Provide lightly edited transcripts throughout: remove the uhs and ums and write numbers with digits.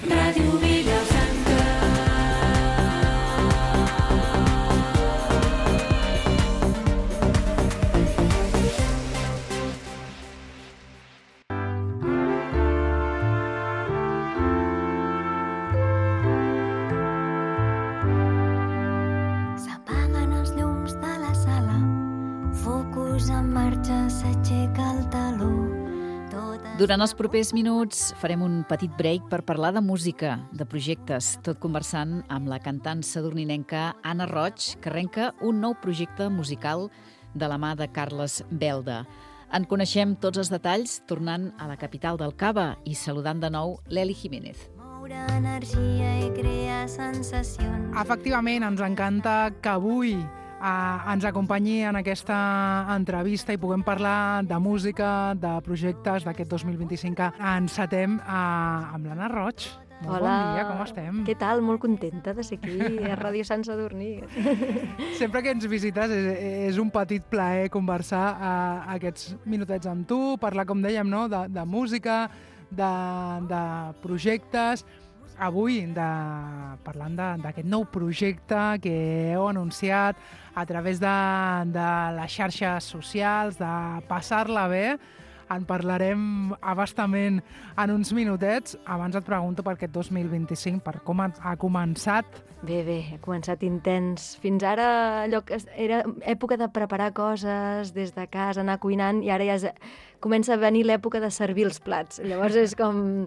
Ràdio Vilafranca. S'apaguen els llums de la sala, focus en marxa, s'aixeca el taló. Durant els propers minuts farem un petit break per parlar de música, de projectes, tot conversant amb la cantant sadurninenca Anna Roig, que arrenca un nou projecte musical de la mà de Carles Belda. En coneixem tots els detalls tornant a la capital del Cava i saludant de nou l'Eli Jiménez. Moure energia i crear sensacions. Efectivament, ens encanta que avui ens acompanyi en aquesta entrevista i puguem parlar de música, de projectes d'aquest 2025 que encetem amb l'Anna Roig. Molt Hola. Bon dia, com estem? Què tal? Molt contenta de ser aquí a Ràdio Sant Sadurní. Sempre que ens visites és un petit plaer conversar aquests minutets amb tu, parlar, com dèiem, no? de música, de projectes. Avui parlant d'aquest nou projecte que heu anunciat a través de les xarxes socials, de passar-la bé. En parlarem abastament en uns minutets. Abans et pregunto per aquest 2025, per com ha començat. Bé, ha començat intens. Fins ara allò que era època de preparar coses des de casa, anar cuinant, i ara ja comença a venir l'època de servir els plats. Llavors és com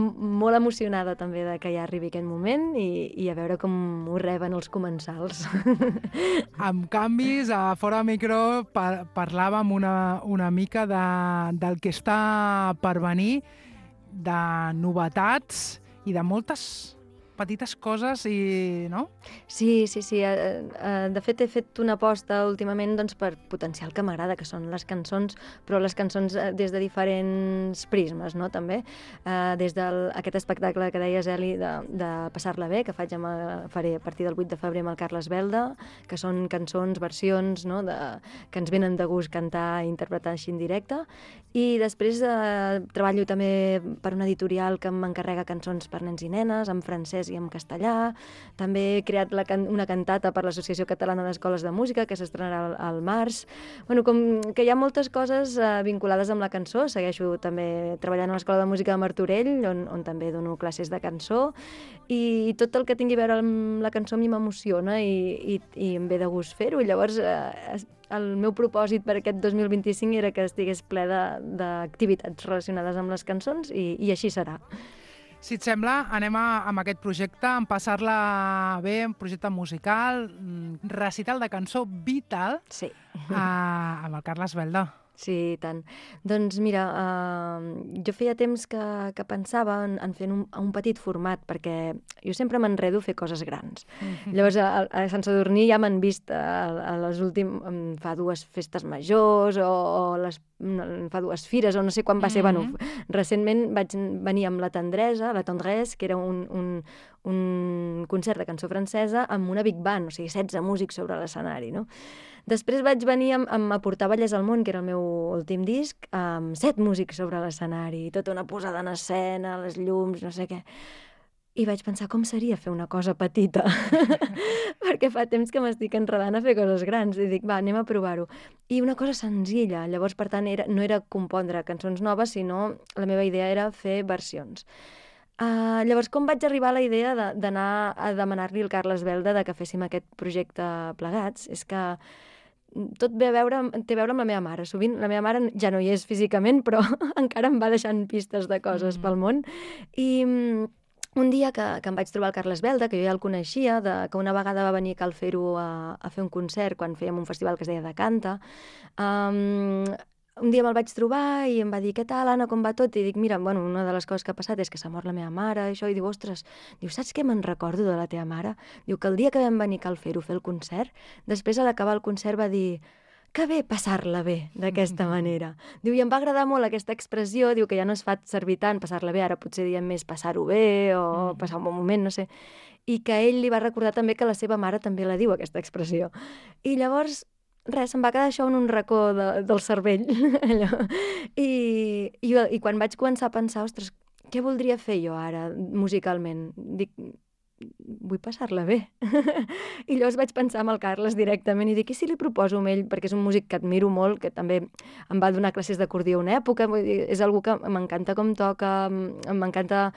molt emocionada també de que ja arribi aquest moment i a veure com ho reben els comensals. Amb canvis, a fora de micro parlàvem una mica del que està per venir, de novetats i de moltes petites coses, no? Sí. De fet, he fet una aposta últimament per potenciar el que m'agrada, que són les cançons, però les cançons des de diferents prismes, no? També. Des d'aquest espectacle que deies, Eli, de Passar-la bé, que faré a partir del 8 de febrer amb el Carles Belda, que són cançons, versions, no? Que ens venen de gust cantar i interpretar així en directe. I després treballo també per una editorial que m'encarrega cançons per nens i nenes, en francès i en castellà. També he creat una cantata per l'Associació Catalana d'Escoles de Música, que s'estrenarà al març. Bueno, com que hi ha moltes coses vinculades amb la cançó. Segueixo també treballant a l'Escola de Música de Martorell, on també dono classes de cançó, i tot el que tingui a veure amb la cançó a mi m'emociona i em ve de gust fer-ho. Llavors, el meu propòsit per aquest 2025 era que estigués ple d'activitats relacionades amb les cançons i així serà. Si et sembla, anem amb aquest projecte, en Passar-la bé, un projecte musical, recital de cançó vital, sí. Amb el Carles Belda. Sí, tant. Doncs mira, jo feia temps que pensava en fer un petit format, perquè jo sempre m'enredo a fer coses grans. Llavors, a Sant Sadurní ja m'han vist a les últimes, fa 2 festes majors o fa 2 fires, o no sé quan va ser. Bueno, recentment vaig venir amb La Tendresse, que era un concert de cançó francesa amb una big band, o sigui, 16 músics sobre l'escenari, no? Després vaig venir a portar Ballers al món, que era el meu últim disc, amb 7 músics sobre l'escenari, tota una posada en escena, les llums, no sé què. I vaig pensar com seria fer una cosa petita, perquè fa temps que m'estic enredant a fer coses grans, i dic, va, anem a provar-ho. I una cosa senzilla, llavors, per tant, no era compondre cançons noves, sinó la meva idea era fer versions. Llavors, com vaig arribar a la idea d'anar a demanar-li al Carles Belda que féssim aquest projecte plegats? És que tot té a veure amb la meva mare. Sovint la meva mare ja no hi és físicament, però encara em va deixant pistes de coses pel món. I un dia que em vaig trobar el Carles Belda, que jo ja el coneixia, que una vegada va venir a Cal Fer-ho a fer un concert quan fèiem un festival que es deia Decanta, un dia me'l vaig trobar i em va dir, què tal, Anna, com va tot? I dic, mira, bueno, una de les coses que ha passat és que s'ha mort la meva mare, això, i diu, ostres, saps què me'n recordo de la teva mare? Diu que el dia que vam venir a Cal Fer-ho fer el concert, després a l'acabar el concert va dir, que bé passar-la bé d'aquesta manera. Diu, i em va agradar molt aquesta expressió, diu que ja no es fa servir tant passar-la bé, ara potser diem més passar-ho bé o passar un bon moment, no sé, i que ell li va recordar també que la seva mare també la diu, aquesta expressió. I llavors, res, em va quedar això en un racó del cervell. I quan vaig començar a pensar, ostres, què voldria fer jo ara musicalment? Dic, vull passar-la bé. I llavors vaig pensar amb el Carles directament i dic, i si li proposo amb ell, perquè és un músic que admiro molt, que també em va donar classes d'acordió una època, vull dir, és algú que m'encanta com toca, m'encanta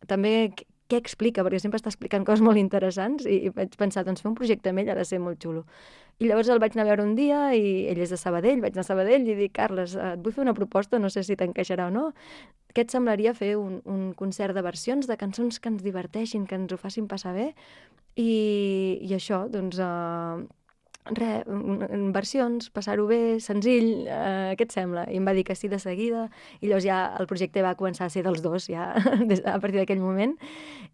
també què explica, perquè sempre està explicant coses molt interessants i vaig pensar, doncs fer un projecte amb ell ha de ser molt xulo. I llavors el vaig anar a veure un dia i ell és de Sabadell, vaig anar a Sabadell i dic, Carles, et vull fer una proposta, no sé si t'encaixarà o no. Què et semblaria fer un concert de versions de cançons que ens diverteixin, que ens ho facin passar bé? I això, doncs, versions, passar-ho bé, senzill, què et sembla? I em va dir que sí de seguida, i llavors ja el projecte va començar a ser dels dos, ja, a partir d'aquell moment,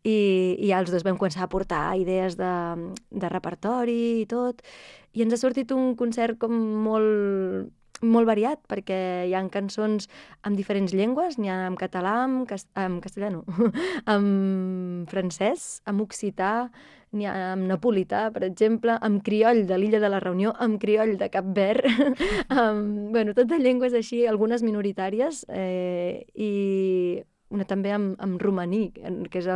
i ja els dos vam començar a portar idees de repertori i tot, i ens ha sortit un concert com molt variat, perquè hi ha cançons amb diferents llengües, n'hi ha en català, en castellà no, en francès, en occità, n'hi ha en napolità, per exemple, en crioll de l'illa de la Reunió, en crioll de Cap Verd, bueno, tot de llengües així, algunes minoritàries, i una també amb romaní, que és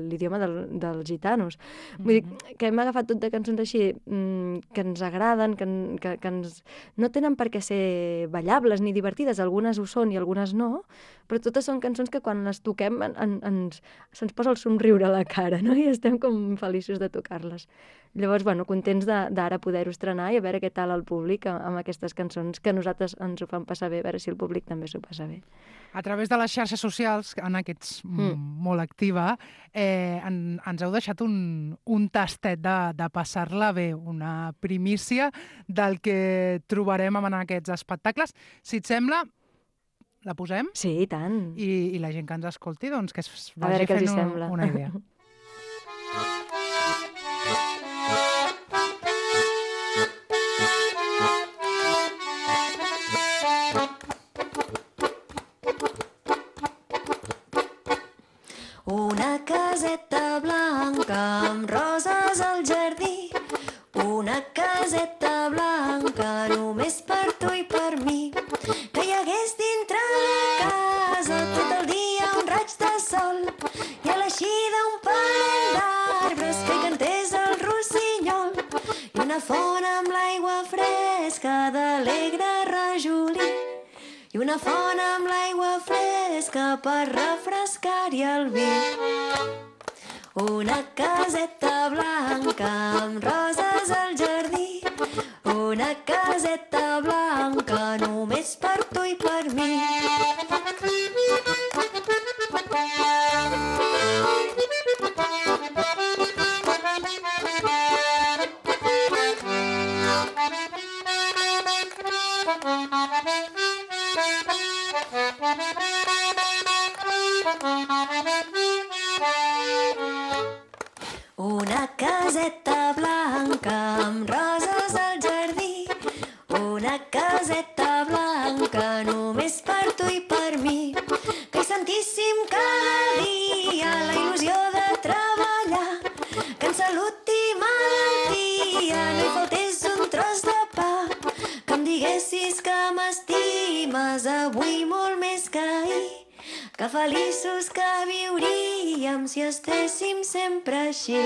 l'idioma dels gitanos. Vull dir que hem agafat tot de cançons així que ens agraden, que ens... no tenen per què ser ballables ni divertides, algunes ho són i algunes no, però totes són cançons que quan les toquem se'ns posa el somriure a la cara, no? I estem com feliços de tocar-les. Llavors, bueno, contents d'ara poder-ho estrenar i a veure què tal el públic amb aquestes cançons que a nosaltres ens ho fan passar bé, a veure si el públic també s'ho passa bé. A través de les xarxes socials, en aquests molt activa, ens heu deixat un tastet de passar-la bé, una primícia del que trobarem en aquests espectacles. Si et sembla, la posem? Sí, i tant. I la gent que ens escolti, doncs, que es a veure vagi què els fent sembla. una idea. Una caseta blanca amb roses al jardí, una caseta blanca només per tu i per mi, que hi hagués dintre la casa tot el dia un raig de sol i a l'eixida un parell d'arbres que hi cantés el rossinyol i una font amb l'aigua fresca d'alegre rajolí i una font amb l'aigua fresca per refrescar-hi el vi. Una caseta blanca amb roses al jardí, una caseta blanca només per tu i per mi. Una caseta blanca amb roses al jardí, una caseta blanca només per tu i per mi, que hi sentíssim cada dia la il·lusió de treballar, que en salut i malaltia no hi faltés un tros de pa, que em diguessis que m'estimes avui molt més que ahir, que feliços que viuríem si estéssim sempre així.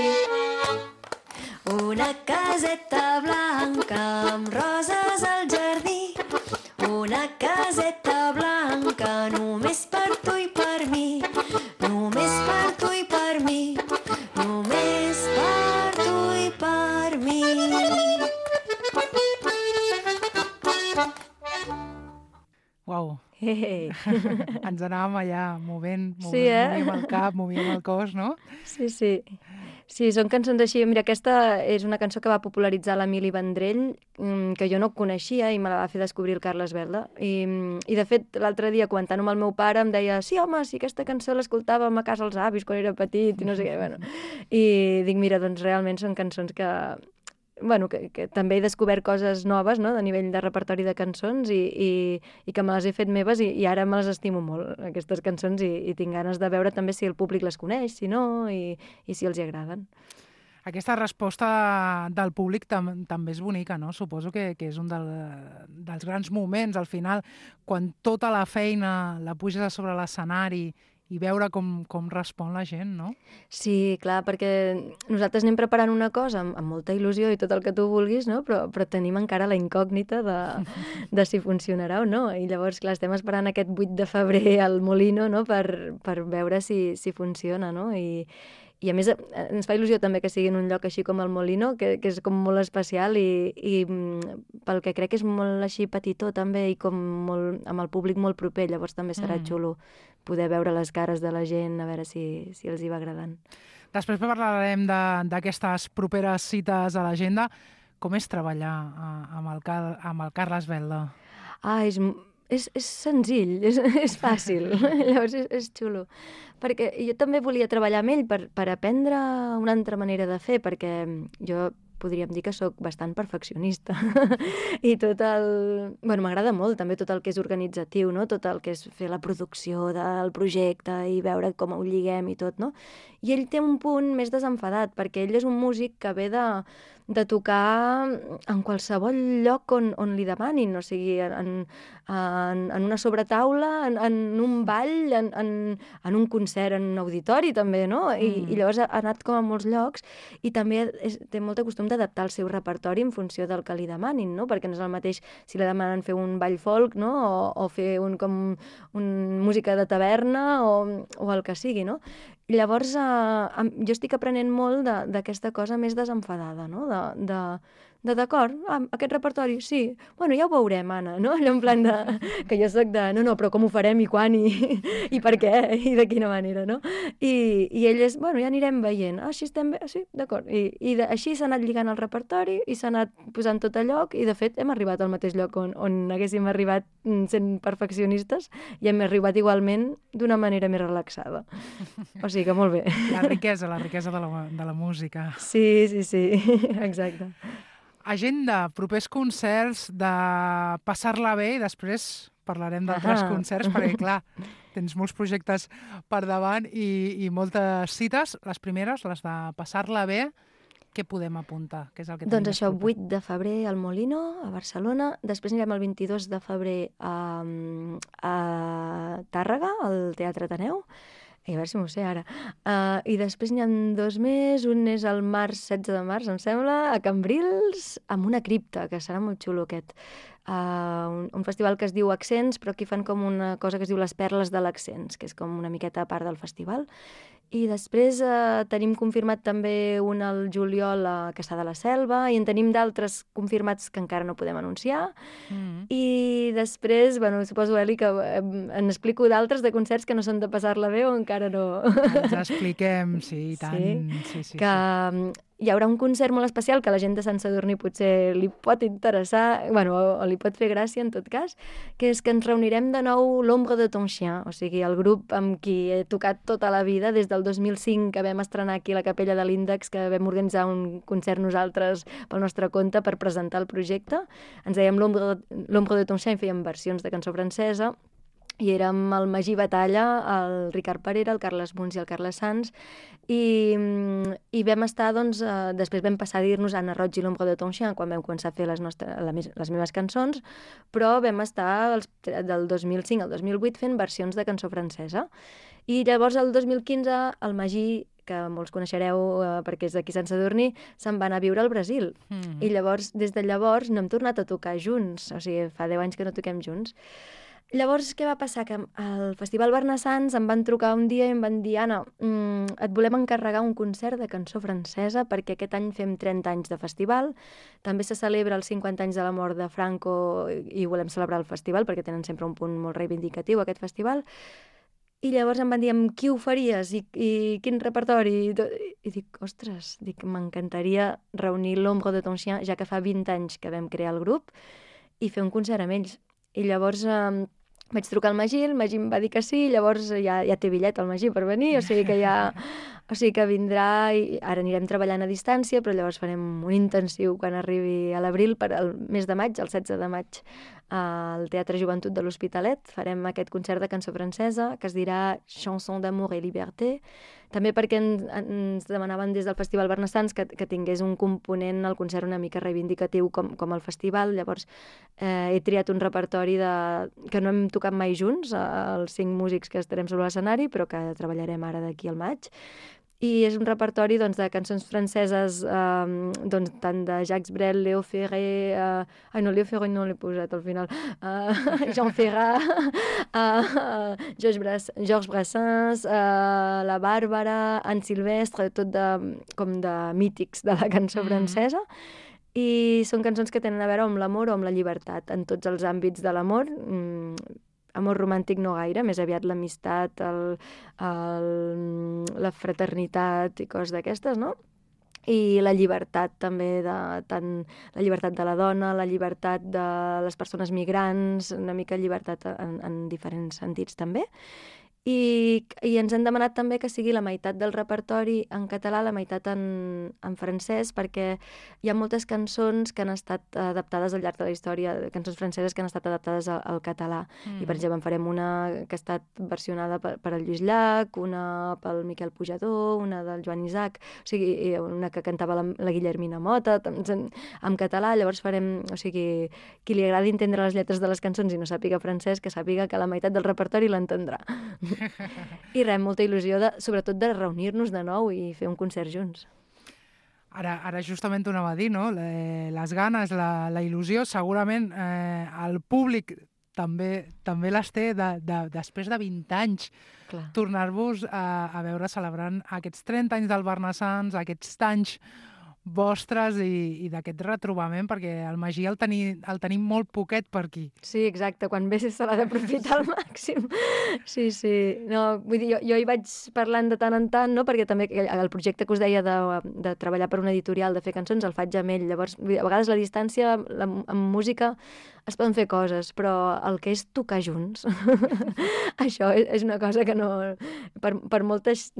Una caseta blanca amb roses al jardí, una caseta blanca només per tu i per mi, només per tu i per mi, només per tu i per mi. Uau! Hey. Ens anàvem allà movent Sí, movíem el cap, movíem el cos, no? Sí, sí. Sí, són cançons així. Mira, aquesta és una cançó que va popularitzar l'Emili Vendrell, que jo no coneixia i me la va fer descobrir el Carles Belda. I de fet, l'altre dia, comentant amb el meu pare, em deia sí, home, sí, aquesta cançó l'escoltàvem a casa als avis quan era petit i no sé què. Bueno. I dic, mira, doncs realment són cançons que també he descobert coses noves, no?, de nivell de repertori de cançons i que me les he fet meves i ara me les estimo molt, aquestes cançons, i tinc ganes de veure també si el públic les coneix, si no, i si els hi agraden. Aquesta resposta del públic també és bonica, no? Suposo que és un dels grans moments, al final, quan tota la feina la puges a sobre l'escenari i veure com respon la gent, no? Sí, clar, perquè nosaltres anem preparant una cosa amb molta il·lusió i tot el que tu vulguis, no? Però tenim encara la incògnita de si funcionarà o no. I llavors, clar, estem esperant aquest 8 de febrer al Molino, no? per veure si funciona, no? I a més ens fa il·lusió també que sigui en un lloc així com el Molino, que és com molt especial i pel que crec que és molt així petitó també i com molt, amb el públic molt proper, llavors també serà xulo poder veure les cares de la gent, a veure si els hi va agradant. Després parlarem d'aquestes properes cites a l'agenda. Com és treballar amb el Carles Belda? És senzill, és fàcil, llavors és xulo. Perquè jo també volia treballar amb ell per aprendre una altra manera de fer, perquè jo podríem dir que sóc bastant perfeccionista. I m'agrada molt també tot el que és organitzatiu, no? Tot el que és fer la producció del projecte i veure com ho lliguem i tot, no? I ell té un punt més desenfadat, perquè ell és un músic que ve de tocar en qualsevol lloc on li demanin, o sigui, en una sobretaula, en un ball, en un concert, en un auditori també, no? I llavors ha anat com a molts llocs i també té molt de costum d'adaptar el seu repertori en funció del que li demanin, no? Perquè no és el mateix si li demanen fer un ball folk, no? O fer un música de taverna o el que sigui, no? I llavors jo estic aprenent molt d'aquesta cosa més desenfadada, no? D'acord, aquest repertori, sí, bueno, ja ho veurem, Anna, no? Allò en plan que jo soc no, però com ho farem i quan i per què i de quina manera, no? I ell és, bueno, ja anirem veient, així estem bé, sí, d'acord. I així s'ha anat lligant el repertori i s'ha anat posant tot a lloc i de fet hem arribat al mateix lloc on haguéssim arribat sent perfeccionistes i hem arribat igualment d'una manera més relaxada. O sigui que molt bé. La riquesa de la música. Sí, exacte. Agenda, propers concerts, de passar-la bé i després parlarem d'altres concerts perquè, clar, tens molts projectes per davant i moltes cites. Les primeres, les de passar-la bé, què podem apuntar? Què és el que doncs això, 8 de febrer al Molino, a Barcelona. Després anirem el 22 de febrer a Tàrrega, al Teatre Ateneu. A veure si m'ho sé ara. I després n'hi ha 2 més. Un és el 16 de març, em sembla, a Cambrils, amb una cripta, que serà molt xulo aquest. Un festival que es diu Accents, però aquí fan com una cosa que es diu Les Perles de l'Accents, que és com una miqueta a part del festival. I després tenim confirmat també un al juliol a Cassà de la Selva i en tenim d'altres confirmats que encara no podem anunciar. I després, bueno, suposo, Eli, que en explico d'altres de concerts que no són de passar-la bé o encara no. Ens expliquem, sí, i tant. Sí. Hi haurà un concert molt especial que a la gent de Sant Sadurní potser li pot interessar, bueno, o li pot fer gràcia en tot cas, que és que ens reunirem de nou l'Ombre de ton chien, o sigui, el grup amb qui he tocat tota la vida, des del 2005 que vam estrenar aquí a la Capella de l'Índex, que vam organitzar un concert nosaltres pel nostre compte per presentar el projecte. Ens dèiem l'Ombre de ton chien i fèiem versions de cançó francesa, i érem el Magí Batalla, el Ricard Parera, el Carles Muns i el Carles Sans, i vam estar, doncs, després vam passar a dir-nos Anna Roig i l'Ombre de ton chien quan vam començar a fer les meves cançons, però vam estar del 2005 al 2008 fent versions de cançó francesa. I llavors, el 2015, el Magí, que molts coneixereu perquè és d'aquí Sant Sadurní, se'n va anar a viure al Brasil. I llavors, des de llavors, no hem tornat a tocar junts, o sigui, fa 10 anys que no toquem junts. Llavors, què va passar? Que al Festival Bernassans em van trucar un dia i em van dir Anna, et volem encarregar un concert de cançó francesa perquè aquest any fem 30 anys de festival, també se celebra els 50 anys de la mort de Franco i volem celebrar el festival perquè tenen sempre un punt molt reivindicatiu aquest festival. I llavors em van dir, amb qui ho faries i quin repertori? I dic, ostres, m'encantaria reunir l'Ombre de ton chien, ja que fa 20 anys que vam crear el grup, i fer un concert amb ells. I llavors vaig trucar al Magí, el Magí em va dir que sí, llavors ja té bitllet el Magí per venir, o sigui que vindrà i ara anirem treballant a distància, però llavors farem un intensiu quan arribi a l'abril, per al mes de maig, el 16 de maig, al Teatre Joventut de l'Hospitalet. Farem aquest concert de cançó francesa que es dirà Chanson d'amour et liberté. també perquè ens demanaven des del Festival Barnassans que tingués un component al concert una mica reivindicatiu com el festival. Llavors he triat un repertori que no hem tocat mai junts, els 5 músics que estarem sobre l'escenari, però que treballarem ara d'aquí al maig. I és un repertori doncs, de cançons franceses, doncs, tant de Jacques Brel, Léo Ferré... no, Léo Ferré no l'he posat al final. Jean Ferrat, Georges Brassens, la Bàrbara, Anne Silvestre, tot com de mítics de la cançó francesa. I són cançons que tenen a veure amb l'amor o amb la llibertat, en tots els àmbits de l'amor. Amor romàntic no gaire, més aviat l'amistat, la fraternitat i coses d'aquestes, no? I la llibertat també, tant la llibertat de la dona, la llibertat de les persones migrants, una mica llibertat en diferents sentits també. I ens han demanat també que sigui la meitat del repertori en català, la meitat en francès, perquè hi ha moltes cançons que han estat adaptades al llarg de la història, cançons franceses que han estat adaptades al català. I, per exemple, en farem una que ha estat versionada per el Lluís Llach, una pel Miquel Pujador, una del Joan Isaac, o sigui, una que cantava la Guillermina Mota, en català. Llavors farem, o sigui, qui li agradi entendre les lletres de les cançons i no sàpiga francès, que sàpiga que la meitat del repertori l'entendrà. I res, molta il·lusió, sobretot de reunir-nos de nou i fer un concert junts. Ara justament ho anava a dir, no? Les ganes, la il·lusió, segurament el públic també les té després de 20 anys. Clar. Tornar-vos a veure celebrant aquests 30 anys del Barnassans, aquests anys vostres i d'aquest retrobament, perquè el Magí el tenim molt poquet per aquí. Sí, exacte, quan ve se l'ha d'aprofitar al màxim. Sí. No, vull dir, jo hi vaig parlant de tant en tant, no? Perquè també el projecte que us deia de treballar per una editorial, de fer cançons, el faig amb ell. Llavors, a vegades la distància, amb música, es poden fer coses, però el que és tocar junts, això és una cosa que no... Per moltes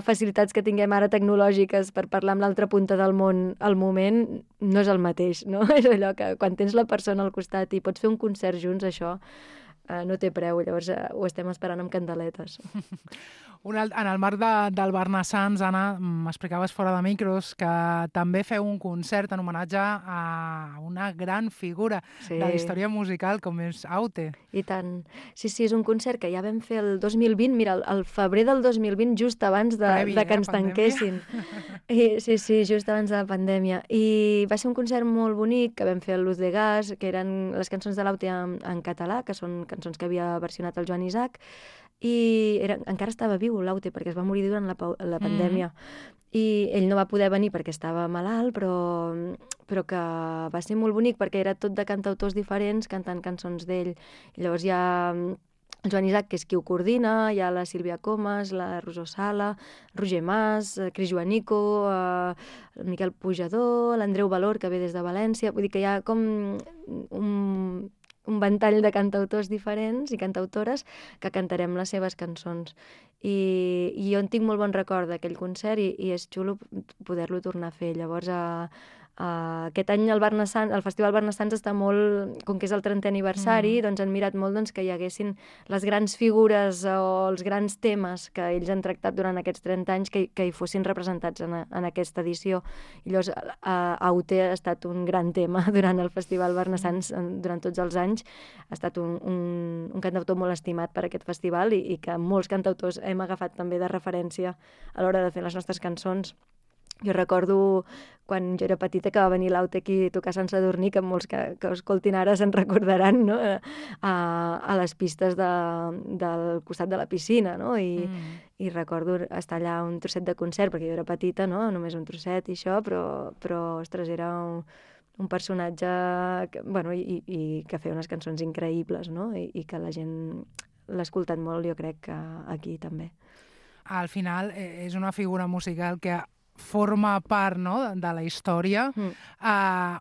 facilitats que tinguem ara tecnològiques per parlar amb l'altra punta del món, al moment no és el mateix, no? És allò que quan tens la persona al costat i pots fer un concert junts, això no té preu, llavors ho estem esperant amb candeletes. En el marc del Barnassans, Anna, m'explicaves fora de micros que també feu un concert en homenatge a una gran figura de la història musical com és Aute. I tant. Sí, és un concert que ja vam fer el 2020, mira, el febrer del 2020, just abans de que ens tanquessin. Sí, just abans de la pandèmia. I va ser un concert molt bonic que vam fer a Luz de Gas, que eren les cançons de l'Aute en català, que són cançons que havia versionat el Joan Isaac, i encara estava viu l'Aute perquè es va morir durant la pandèmia i ell no va poder venir perquè estava malalt, però que va ser molt bonic perquè era tot de cantautors diferents cantant cançons d'ell. I llavors hi ha el Joan Isaac, que és qui ho coordina, hi ha la Sílvia Comas, la Rosó Sala, Roger Mas, Cris Joanico, el Miquel Pujador, l'Andreu Valor, que ve des de València. Vull dir que hi ha com un ventall de cantautors diferents i cantautores que cantarem les seves cançons. I jo en tinc molt bon record d'aquell concert i és xulo poder-lo tornar a fer. Llavors, aquest any el Festival Barnassans està molt, com que és el 30è aniversari, doncs han mirat molt que hi haguessin les grans figures o els grans temes que ells han tractat durant aquests 30 anys que hi fossin representats en aquesta edició. I llavors Aute ha estat un gran tema durant el Festival Barnassans durant tots els anys. Ha estat un cantautor molt estimat per aquest festival i que molts cantautors hem agafat també de referència a l'hora de fer les nostres cançons. Jo recordo quan jo era petita que va venir l'Aute aquí a tocar Sant Sadurní, que molts que ho escoltin ara se'n recordaran, no? A les pistes del costat de la piscina, no? I recordo estar allà un trosset de concert, perquè jo era petita, no? Només un trosset i això, però ostres, era un personatge que, i que feia unes cançons increïbles, no? I que la gent l'ha escoltat molt, jo crec que aquí també. Al final és una figura musical que forma part, no?, de la història,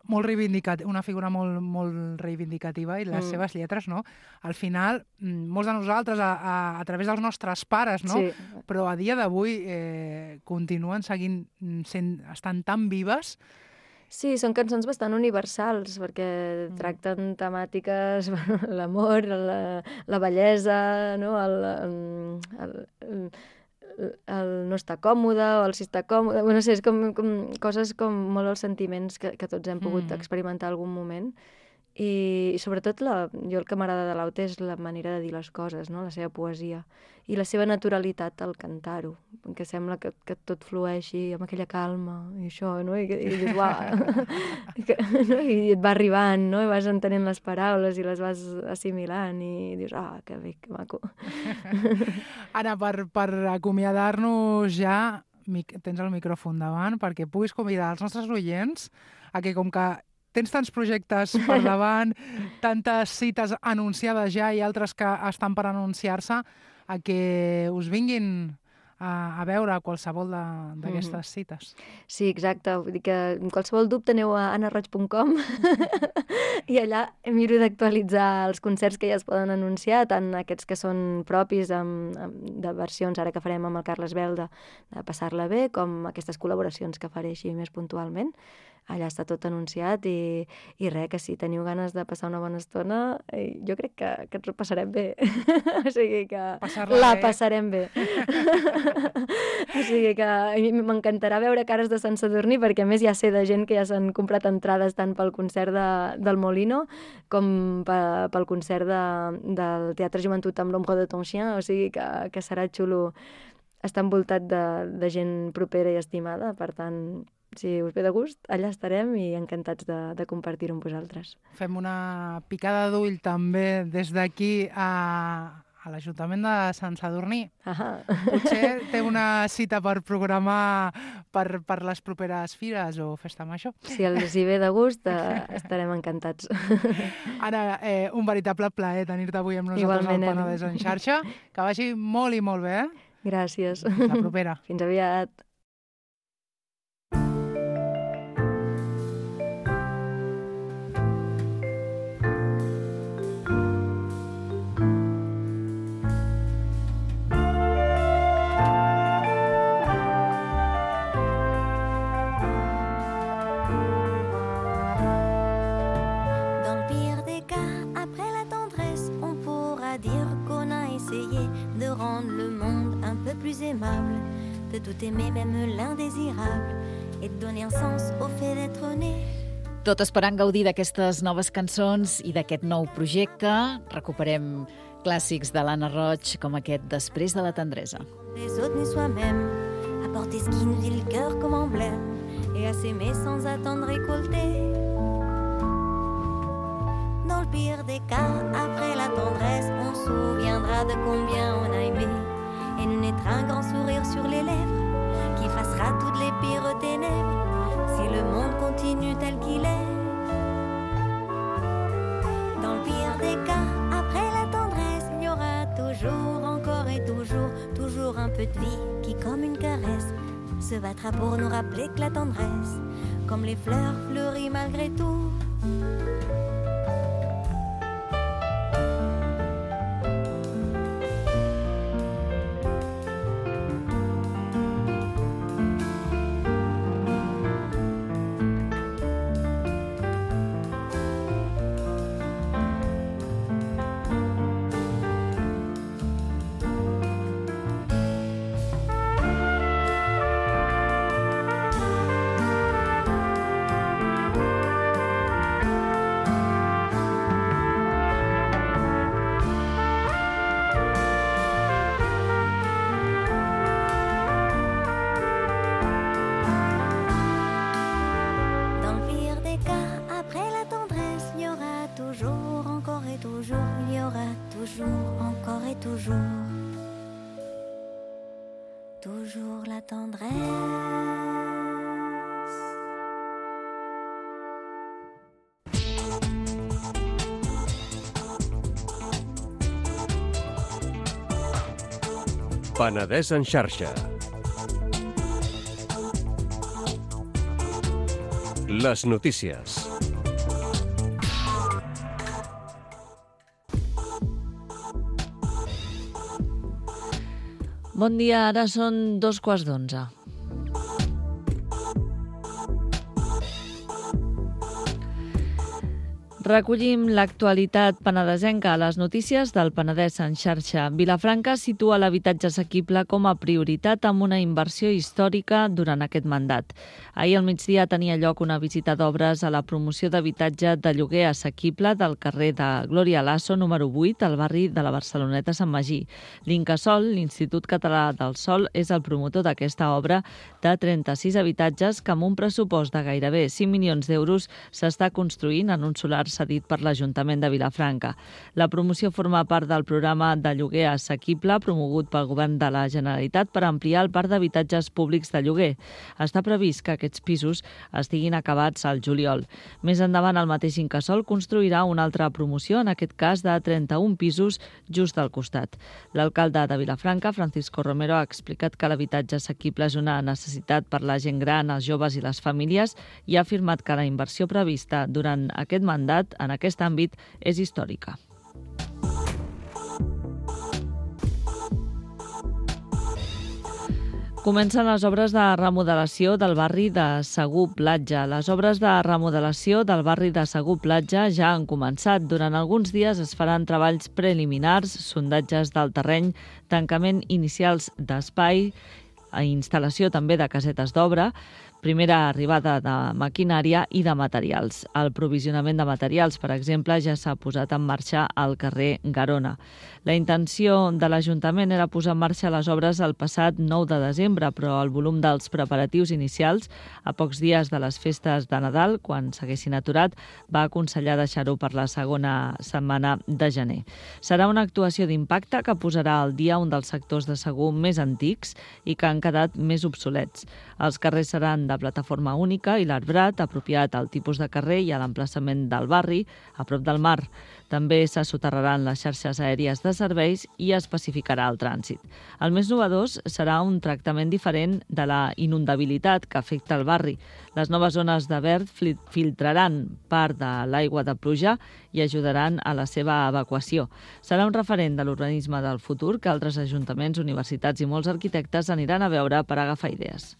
molt reivindicativa, una figura molt reivindicativa, i les seves lletres, no? Al final, molts de nosaltres, a través dels nostres pares, no? Sí. Però a dia d'avui continuen estan tan vives. Sí, són cançons bastant universals, perquè tracten temàtiques, l'amor, la bellesa, no? el no estar còmode o el si està còmode. No sé, és com coses com molt els sentiments que tots hem pogut experimentar algun moment. I sobretot jo el que m'agrada de l'Aute és la manera de dir les coses, no? La seva poesia i la seva naturalitat al cantar-ho, que sembla que tot flueixi amb aquella calma i això, no? I dius, uau, no? I et va arribant, no? I vas entenent les paraules i les vas assimilant i dius, que bé, que maco. Anna, per acomiadar-nos ja, tens el micròfon davant perquè puguis convidar els nostres oients a que, com que tens tants projectes per davant, tantes cites anunciades ja i altres que estan per anunciar-se, a que us vinguin a veure qualsevol d'aquestes cites. Sí, exacte. Vull dir que qualsevol dubte aneu a anarroig.com i allà miro d'actualitzar els concerts que ja es poden anunciar, tant aquests que són propis de versions, ara que farem amb el Carles Belda, de Passar-la bé, com aquestes col·laboracions que faré així més puntualment. Allà està tot anunciat i res, que si teniu ganes de passar una bona estona, jo crec que ens ho passarem bé. O sigui que passarem bé. O sigui que m'encantarà veure cares de Sant Sadurní, perquè a més ja sé de gent que ja s'han comprat entrades tant pel concert del Molino com pel concert del Teatre Joventut amb l'Ombre de ton chien, o sigui que serà xulo estar envoltat de gent propera i estimada, per tant, si us ve de gust, allà estarem i encantats de compartir-ho amb vosaltres. Fem una picada d'ull també des d'aquí a l'Ajuntament de Sant Sadurní. Potser té una cita per programar per les properes fires o festa major. Si els hi ve de gust, estarem encantats. Anna, un veritable plaer tenir-te avui amb nosaltres al Penedès en xarxa. Que vagi molt i molt bé. Gràcies. Fins la propera. Fins aviat. Plus aimable, de tout aimer, même l'indésirable, et de donner un sens au fait d'être né. Tot esperant gaudir d'aquestes noves cançons i d'aquest nou projecte, recuperem clàssics de l'Anna Roig com aquest Després de la tendresa. Les autres ni soi-même, apporter ce qui nous dit le cœur comme emblème, et à s'aimer sans attendre récolter. Dans le pire des cas, après la tendresse, on se souviendra de combien on a aimé. Et nous naîtra un grand sourire sur les lèvres qui effacera toutes les pires ténèbres si le monde continue tel qu'il est. Dans le pire des cas, après la tendresse, il y aura toujours, encore et toujours un peu de vie qui, comme une caresse, se battra pour nous rappeler que la tendresse, comme les fleurs, fleurit malgré tout. Toujours la tendresse. Penedès en xarxa. Les notícies. Bon dia, ara són 11:15. Recollim l'actualitat penedesenca a les notícies del Penedès en xarxa. Vilafranca situa l'habitatge assequible com a prioritat amb una inversió històrica durant aquest mandat. Ahir al migdia tenia lloc una visita d'obres a la promoció d'habitatge de lloguer assequible del carrer de Glòria Lasso, número 8, al barri de la Barceloneta Sant Magí. L'Incasòl, l'Institut Català del Sòl, és el promotor d'aquesta obra de 36 habitatges que amb un pressupost de gairebé 5 milions d'euros s'està construint en un solar cedit per l'Ajuntament de Vilafranca. La promoció forma part del programa de lloguer assequible promogut pel Govern de la Generalitat per ampliar el parc d'habitatges públics de lloguer. Està previst que aquests pisos estiguin acabats al juliol. Més endavant, el mateix Incasòl construirà una altra promoció, en aquest cas de 31 pisos, just al costat. L'alcalde de Vilafranca, Francisco Romero, ha explicat que l'habitatge assequible és una necessitat per la gent gran, els joves i les famílies i ha afirmat que la inversió prevista durant aquest mandat en aquest àmbit és històrica. Comencen les obres de remodelació del barri de Segur Platja. Les obres de remodelació del barri de Segur Platja ja han començat. Durant alguns dies es faran treballs preliminars, sondatges del terreny, tancament inicials d'espai, instal·lació també de casetes d'obra, primera arribada de maquinària i de materials. El provisionament de materials, per exemple, ja s'ha posat en marxa al carrer Garona. La intenció de l'Ajuntament era posar en marxa les obres el passat 9 de desembre, però el volum dels preparatius inicials, a pocs dies de les festes de Nadal, quan s'haguessin aturat, va aconsellar deixar-ho per la segona setmana de gener. Serà una actuació d'impacte que posarà al dia un dels sectors de Segur més antics i que han quedat més obsolets. Els carrers seran de plataforma única i l'arbrat, apropiat al tipus de carrer i a l'emplaçament del barri, a prop del mar. També se soterraran les xarxes aèries de serveis i es pacificarà el trànsit. El més novedós serà un tractament diferent de la inundabilitat que afecta el barri. Les noves zones de verd filtraran part de l'aigua de pluja i ajudaran a la seva evacuació. Serà un referent de l'urbanisme del futur que altres ajuntaments, universitats i molts arquitectes aniran a veure per agafar idees.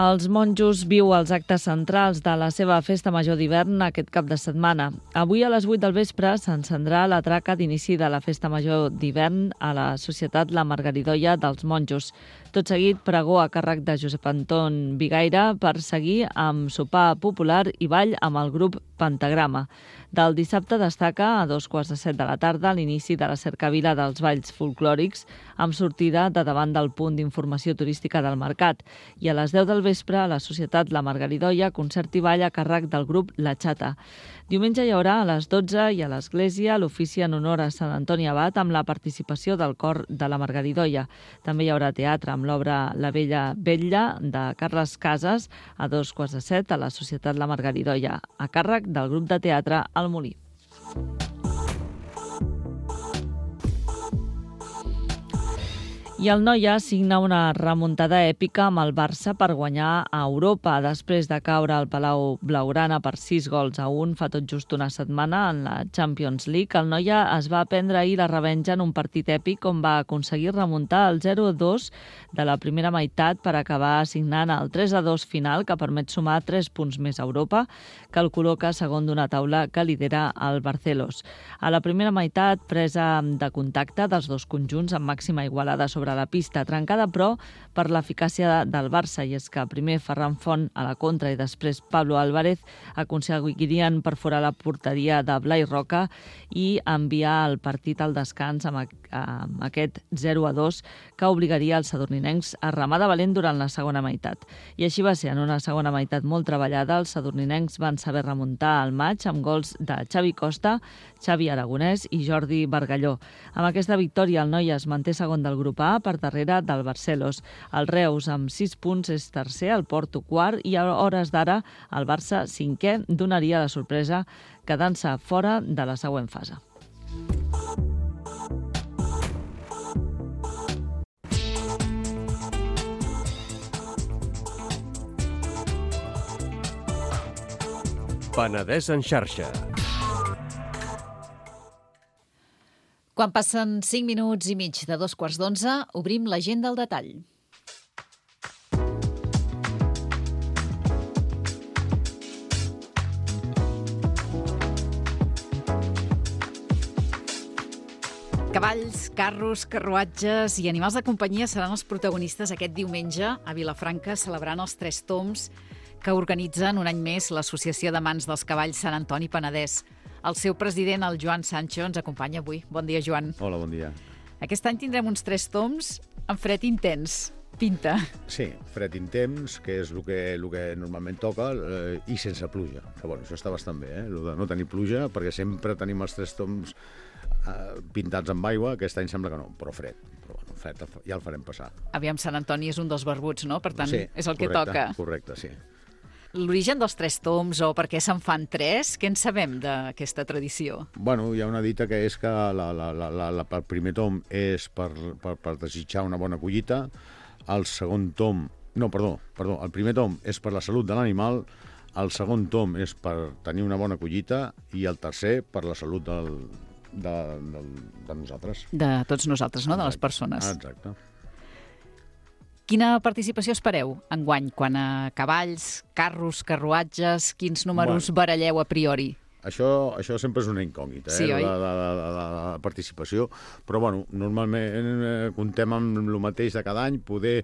Els monjos viu els actes centrals de la seva festa major d'hivern aquest cap de setmana. Avui a les 8 del vespre s'encendrà la traca d'inici de la festa major d'hivern a la Societat La Margaridoia dels Monjos. Tot seguit, pregó a càrrec de Josep Anton Vigaire per seguir amb sopar popular i ball amb el grup Pentagrama. Del dissabte destaca a 2:15 de la tarda l'inici de la cercavila dels balls folclòrics amb sortida de davant del punt d'informació turística del Mercat i a les 10 del vespre a la Societat La Margaridoia concert i ball a càrrec del grup La Xata. Diumenge hi haurà a les 12 i a l'Església l'ofici en honor a Sant Antoni Abat amb la participació del cor de la Margaridoia. També hi haurà teatre amb l'obra La Bella Vetlla de Carles Casas a 2:15 a la Societat La Margaridoia, a càrrec del grup de teatre El Molí. I el Noia signa una remuntada èpica amb el Barça per guanyar a Europa. Després de caure al Palau Blaugrana per 6-1 fa tot just una setmana en la Champions League, el Noia es va prendre ahir la revenja en un partit èpic on va aconseguir remuntar el 0-2 de la primera meitat per acabar signant el 3-2 final que permet sumar 3 punts més a Europa, que el col·loca segon d'una taula que lidera el Barcelos. A la primera meitat, presa de contacte dels dos conjunts amb màxima igualada sobre la pista, trencada però per l'eficàcia del Barça, i és que primer Ferran Font a la contra i després Pablo Álvarez aconseguirien perforar la porteria de Blai Roca i enviar el partit al descans amb aquest 0-2 que obligaria els sadurninencs a remar de valent durant la segona meitat. I així va ser, en una segona meitat molt treballada, els sadurninencs van saber remuntar el maig amb gols de Xavi Costa, Xavi Aragonès i Jordi Bargalló. Amb aquesta victòria el Noia es manté segon del grup A per darrere del Barcelos. El Reus amb 6 punts és tercer, el Porto quart i a hores d'ara el Barça cinquè donaria la sorpresa quedant-se fora de la següent fase. Penedès en xarxa. Quan passen 5 minuts i mig de 2:15, obrim l'agenda al detall. Cavalls, carros, carruatges i animals de companyia seran els protagonistes aquest diumenge a Vilafranca celebrant els 3 tombs que organitzen un any més l'Associació d'Amants dels Cavalls Sant Antoni Penedès. El seu president, el Joan Sancho, ens acompanya avui. Bon dia, Joan. Hola, bon dia. Aquest any tindrem uns 3 tombs amb fred intens. Pinta. Sí, fred intens, que és el que normalment toca, i sense pluja. Que, bueno, això està bastant bé, el de no tenir pluja, perquè sempre tenim els 3 tombs pintats amb aigua. Aquest any sembla que no, però fred. Però bueno, fred ja el farem passar. Aviam, Sant Antoni és un dels barbuts, no? Per tant, sí, és el que correcte, toca. Correcte, sí. L'origen dels 3 tombs o per què se'n fan 3, què en sabem d'aquesta tradició? Bueno, hi ha una dita que és que el primer tom és per desitjar una bona collita, el segon tom... No, perdó, el primer tom és per la salut de l'animal, el segon tom és per tenir una bona collita i el tercer per la salut de nosaltres. De tots nosaltres, no? De les persones. Exacte. Quina participació espereu enguany quan a cavalls, carros, carruatges, quins números baralleu a priori? Això sempre és una incògnita, sí, oi? La participació, però bueno, normalment comptem amb el mateix de cada any, poder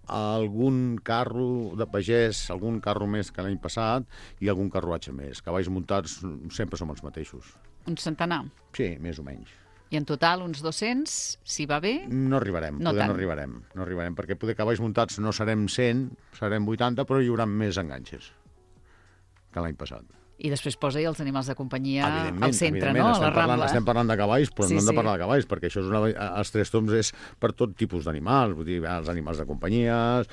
algun carro de pagès, algun carro més que l'any passat i algun carruatge més. Cavalls muntats sempre som els mateixos. Un centenar? Sí, més o menys. I en total uns 200, si va bé? No arribarem, no arribarem, perquè poder cavalls muntats no serem 100, serem 80, però hi haurà més enganxes que l'any passat. I després posa-hi els animals de companyia al centre, no? A la Rambla. Estem parlant de cavalls, però no hem de parlar de cavalls, perquè això és els 3 toms és per tot tipus d'animals, vull dir, els animals de companyia,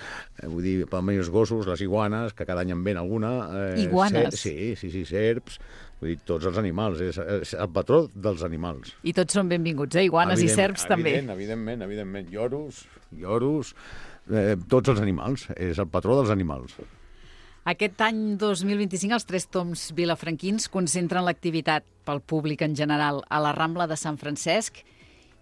vull dir, per els gossos, les iguanes, que cada any en ven alguna. Iguanes? Sí, serps, vull dir, tots els animals, és el patró dels animals. I tots són benvinguts, iguanes i serps també. Evidentment, lloros, tots els animals, és el patró dels animals. Aquest any 2025 els 3 toms vilafranquins concentren l'activitat pel públic en general a la Rambla de Sant Francesc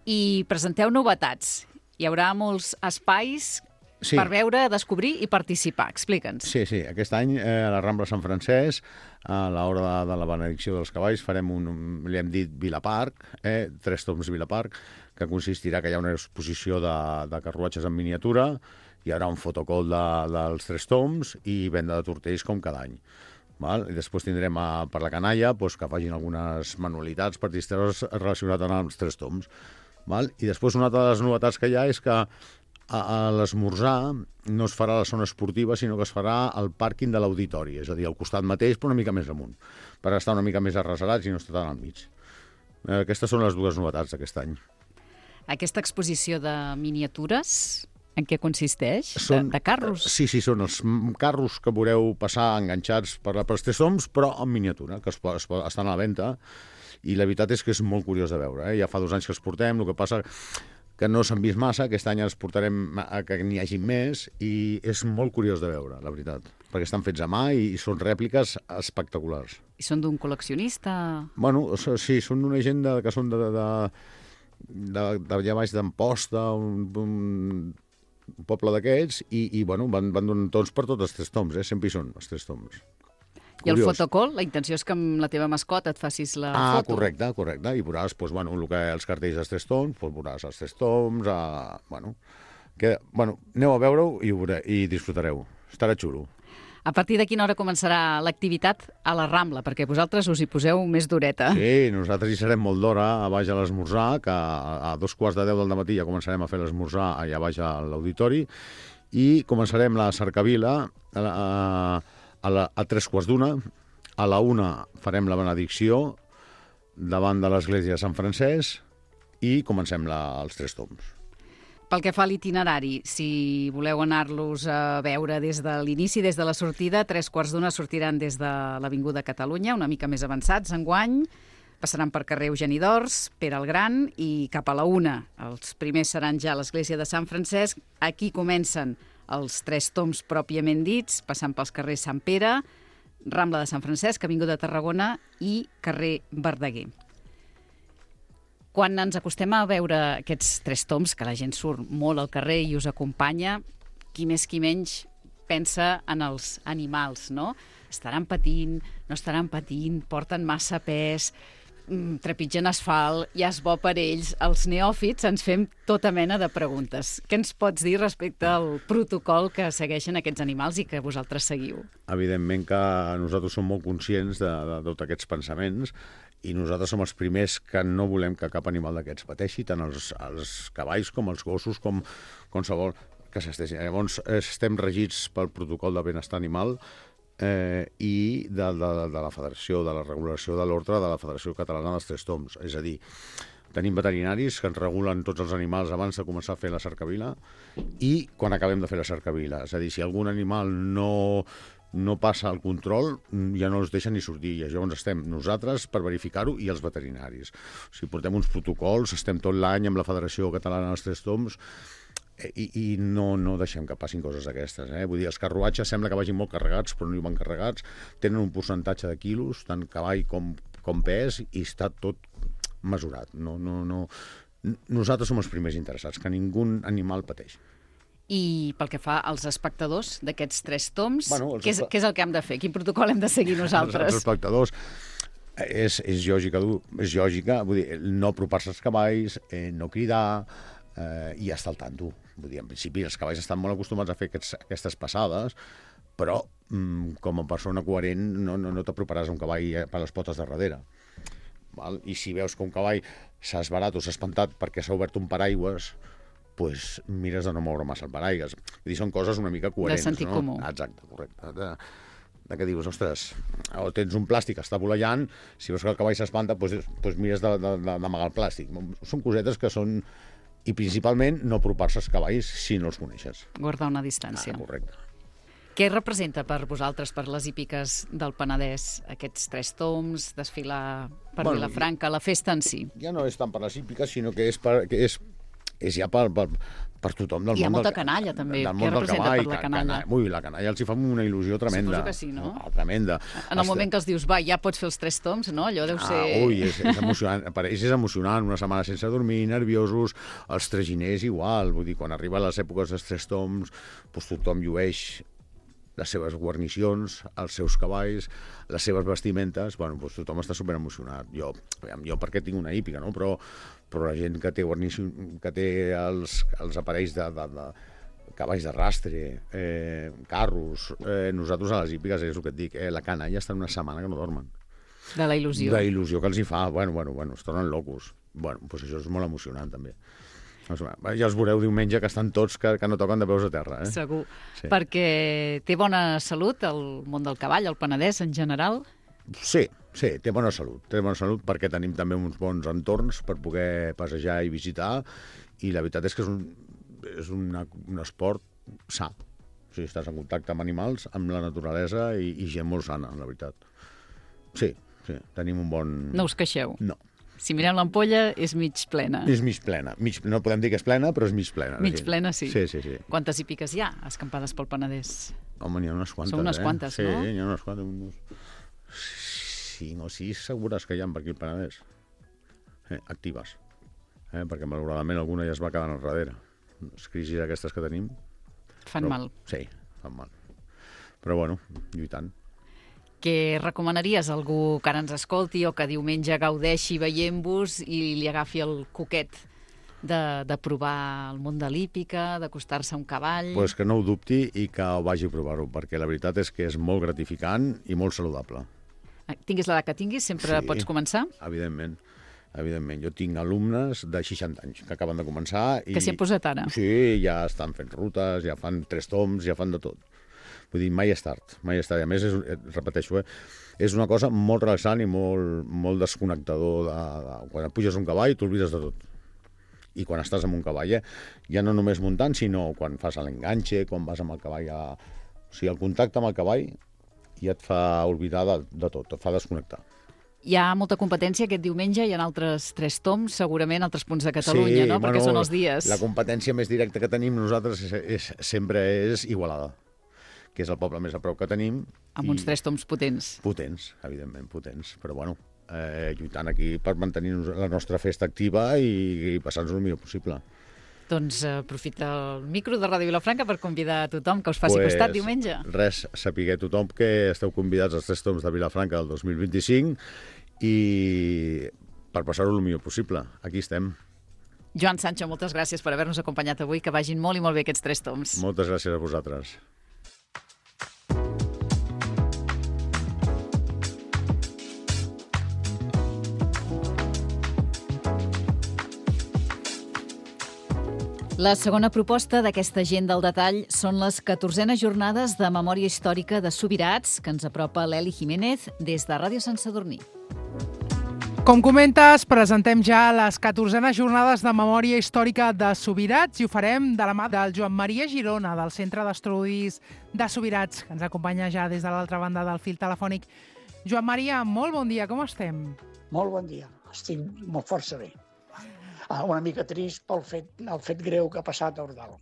i presenteu novetats. Hi haurà molts espais per veure, descobrir i participar. Explica'ns. Sí, aquest any a la Rambla de Sant Francesc, a l'hora de la benedicció dels cavalls, farem li hem dit Vilaparc, 3 toms Vilaparc, que consistirà que hi ha una exposició de carruatges en miniatura, hi haurà un fotocol dels 3 toms i venda de tortells com cada any. I després tindrem per la canalla que facin algunes manualitats per distreure's relacionades amb els 3 toms. I després una altra de les novetats que hi ha és que a l'esmorzar no es farà a la zona esportiva, sinó que es farà al pàrquing de l'auditori, és a dir, al costat mateix, però una mica més amunt, per estar una mica més arrecerats i no estar tan al mig. Aquestes són les 2 novetats d'aquest any. Aquesta exposició de miniatures... En què consisteix? De carros? Sí, són els carros que veureu passar enganxats per els 3 toms, però en miniatura, que estan a la venda, i la veritat és que és molt curiós de veure. Ja fa 2 anys que els portem, el que passa que no s'han vist massa, aquest any els portarem que n'hi hagi més, i és molt curiós de veure, la veritat, perquè estan fets a mà i són rèpliques espectaculars. I són d'un col·leccionista? Bueno, sí, són d'una gent que són d'allà baix d'Amposta, un poble d'aquests, i bueno, van donant tots per tots els 3 toms, sempre hi són els 3 toms. I el fotocall, la intenció és que amb la teva mascota et facis la foto. Correcte, i veuràs els cartells dels 3 toms, veuràs els 3 toms, aneu a veure-ho i disfrutareu, estarà xulo. A partir de quina hora començarà l'activitat a la Rambla? Perquè vosaltres us hi poseu més d'horeta. Sí, nosaltres hi serem molt d'hora a baix a l'esmorzar, que a 2:15 del matí ja començarem a fer l'esmorzar allà baix a l'auditori, i començarem la cercavila a 3:15. A la 1 farem la benedicció davant de l'església de Sant Francesc i comencem els 3 toms. Pel que fa a l'itinerari, si voleu anar-los a veure des de l'inici, des de la sortida, 3:15 sortiran des de l'Avinguda Catalunya, una mica més avançats enguany, passaran per carrer Eugeni d'Ors, Pere el Gran, i cap a la 1 els primers seran ja a l'església de Sant Francesc. Aquí comencen els 3 toms pròpiament dits, passant pels carrers Sant Pere, Rambla de Sant Francesc, Avinguda de Tarragona i carrer Verdaguer. Quan ens acostem a veure aquests 3 toms, que la gent surt molt al carrer i us acompanya, qui més qui menys pensa en els animals, no? Estaran patint, no estaran patint, porten massa pes... trepitgen asfalt, ja és bo per ells. Els neòfits ens fem tota mena de preguntes. Què ens pots dir respecte al protocol que segueixen aquests animals i que vosaltres seguiu? Evidentment que nosaltres som molt conscients de tots aquests pensaments i nosaltres som els primers que no volem que cap animal d'aquests pateixi, tant els cavalls com els gossos, com qualsevol que s'estegi. Llavors, estem regits pel protocol de benestar animal i de la Federació, de la regulació de l'ordre de la Federació Catalana dels Tres Tombs. És a dir, tenim veterinaris que ens regulen tots els animals abans de començar a fer la cercavila i quan acabem de fer la cercavila. És a dir, si algun animal no passa el control, ja no els deixen ni sortir. I llavors estem nosaltres per verificar-ho i els veterinaris. O sigui, portem uns protocols, estem tot l'any amb la Federació Catalana dels Tres Tombs i no deixem que passin coses d'aquestes. Vull dir, els carruatges sembla que vagin molt carregats, però no hi van carregats. Tenen un percentatge de quilos, tant cavall com pes, i està tot mesurat. Nosaltres som els primers interessats, que ningú animal pateix. I pel que fa als espectadors d'aquests Tres Tombs, què és el que hem de fer? Quin protocol hem de seguir nosaltres? Els espectadors és lògica, vull dir, no apropar-se als cavalls, no cridar i estar al tanto. Vull dir, en principi els cavalls estan molt acostumats a fer aquestes passades, però com a persona coherent no t'aproparàs a un cavall per les potes de darrere. Val? I si veus que un cavall s'ha esbarat o s'ha espantat perquè s'ha obert un paraigües, pues mires de no moure massa el paraigües. Vull dir, són coses una mica coherents. De sentit comú. Exacte, correcte. De què dius, ostres, o tens un plàstic que està voleiant, si veus que el cavall s'espanta, pues mires d'amagar el plàstic. Són cosetes que són... I principalment no apropar-se als cavalls si no els coneixes. Guardar una distància. Correcte. Què representa per vosaltres, per les hípiques del Penedès, aquests Tres Tombs, desfilar per Vilafranca, la festa en si? Ja no és tant per les hípiques, sinó que és ja per tothom del món. Hi ha molta canalla, també. Què representa per la canalla? Ui, la canalla els hi fa una il·lusió tremenda. Suposo que sí, no? Tremenda. En el moment que els dius, va, ja pots fer els Tres Tombs, no? Allò deu ser... Ui, és emocionant. Per ells és emocionant. Una setmana sense dormir, nerviosos. Els traginers igual. Vull dir, quan arriben les èpoques dels Tres Tombs, doncs tothom llueix les seves guarnicions, els seus cavalls, les seves vestimentes, bueno, doncs tothom està superemocionat. Jo perquè tinc una hípica, no? Però la gent que té que té els aparells de cavalls d'arrastre, carros, nosaltres a les hípiques, és el que et dic, la canalla està una setmana que no dormen. De la il·lusió. De la il·lusió que els hi fa. Bueno, es tornen locos. Bueno, doncs això és molt emocionant, també. Ja els veureu diumenge que estan tots que no toquen de peus a terra. Segur. Sí. Perquè té bona salut el món del cavall, el Penedès en general? Sí, té bona salut. Té bona salut perquè tenim també uns bons entorns per poder passejar i visitar, i la veritat és que és un esport sa. O sigui, estàs en contacte amb animals, amb la naturalesa i gent molt sana, la veritat. Sí, tenim un bon... No us queixeu? No. Si mirem l'ampolla, és mig plena. És mig plena. No podem dir que és plena, però és mig plena. Mig plena, sí. Sí. Quantes hípiques hi ha escampades pel Penedès? Home, n'hi ha unes quantes, Són unes quantes, no? Sí, n'hi ha unes quantes. 5 o 6 segures que hi ha per aquí al Penedès. Actives. Perquè malauradament alguna ja es va quedar al darrere. Les crisis aquestes que tenim... Fan mal. Sí, fan mal. Però bueno, lluitant. Què recomanaries a algú que ara ens escolti o que diumenge gaudeixi veient-vos i li agafi el coquet de provar el món de l'hípica, d'acostar-se a un cavall? Pues que no ho dubti i que ho vagi a provar-ho, perquè la veritat és que és molt gratificant i molt saludable. Tinguis l'edat que tinguis, sempre pots començar? Evidentment. Jo tinc alumnes de 60 anys que acaben de començar. Que s'hi han posat ara? Sí, ja estan fent rutes, ja fan 3 tombs, ja fan de tot. Vull dir, mai és tard. A més, repeteixo, és una cosa molt relaxant i molt desconnectador. Quan et puges un cavall, t'oblides de tot. I quan estàs amb un cavall, ja no només muntant, sinó quan fas l'enganxe, quan vas amb el cavall O sigui, el contacte amb el cavall ja et fa oblidar de tot, et fa desconnectar. Hi ha molta competència aquest diumenge, hi ha altres 3 tombs, segurament altres punts de Catalunya, no? Perquè són els dies. La competència més directa que tenim nosaltres sempre és Igualada, que és el poble més a prop que tenim. Amb uns 3 tombs potents. Potents, evidentment, potents. Però bueno, lluitant aquí per mantenir la nostra festa activa i passar-nos el millor possible. Doncs aprofita el micro de Ràdio Vilafranca per convidar a tothom que us faci costat diumenge. Res, sapigueu tothom que esteu convidats als 3 tombs de Vilafranca del 2025 i per passar-ho el millor possible. Aquí estem. Joan Sancho, moltes gràcies per haver-nos acompanyat avui, que vagin molt i molt bé aquests 3 toms. Moltes gràcies a vosaltres. La segona proposta d'aquesta agenda al detall són les 14enes jornades de memòria històrica de Subirats, que ens apropa l'Eli Jiménez des de Ràdio Sant Sadurní. Com comentes, presentem ja les 14enes jornades de memòria històrica de Subirats i ho farem de la mà del Joan Maria Girona, del Centre d'Estudis de Subirats, que ens acompanya ja des de l'altra banda del fil telefònic. Joan Maria, molt bon dia, com estem? Molt bon dia, estic molt força bé. Una mica trist pel fet greu que ha passat a Ordal.